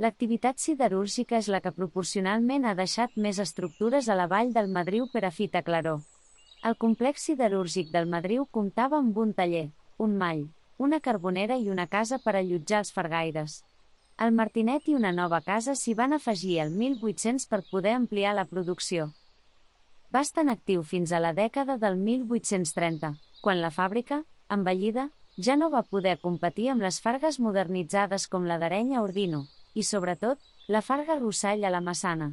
L'activitat siderúrgica és la que proporcionalment ha deixat més estructures a la vall del Madriu per a Fita Claró. El complex siderúrgic del Madriu comptava amb un taller, un mall, una carbonera i una casa per allotjar els fargaires. El Martinet i una nova casa s'hi van afegir el 1800 per poder ampliar la producció. Va estar en actiu fins a la dècada del 1830, quan la fàbrica, envellida, ja no va poder competir amb les fargues modernitzades com la d'Areny a Ordino, i sobretot, la farga Rossall a la Massana.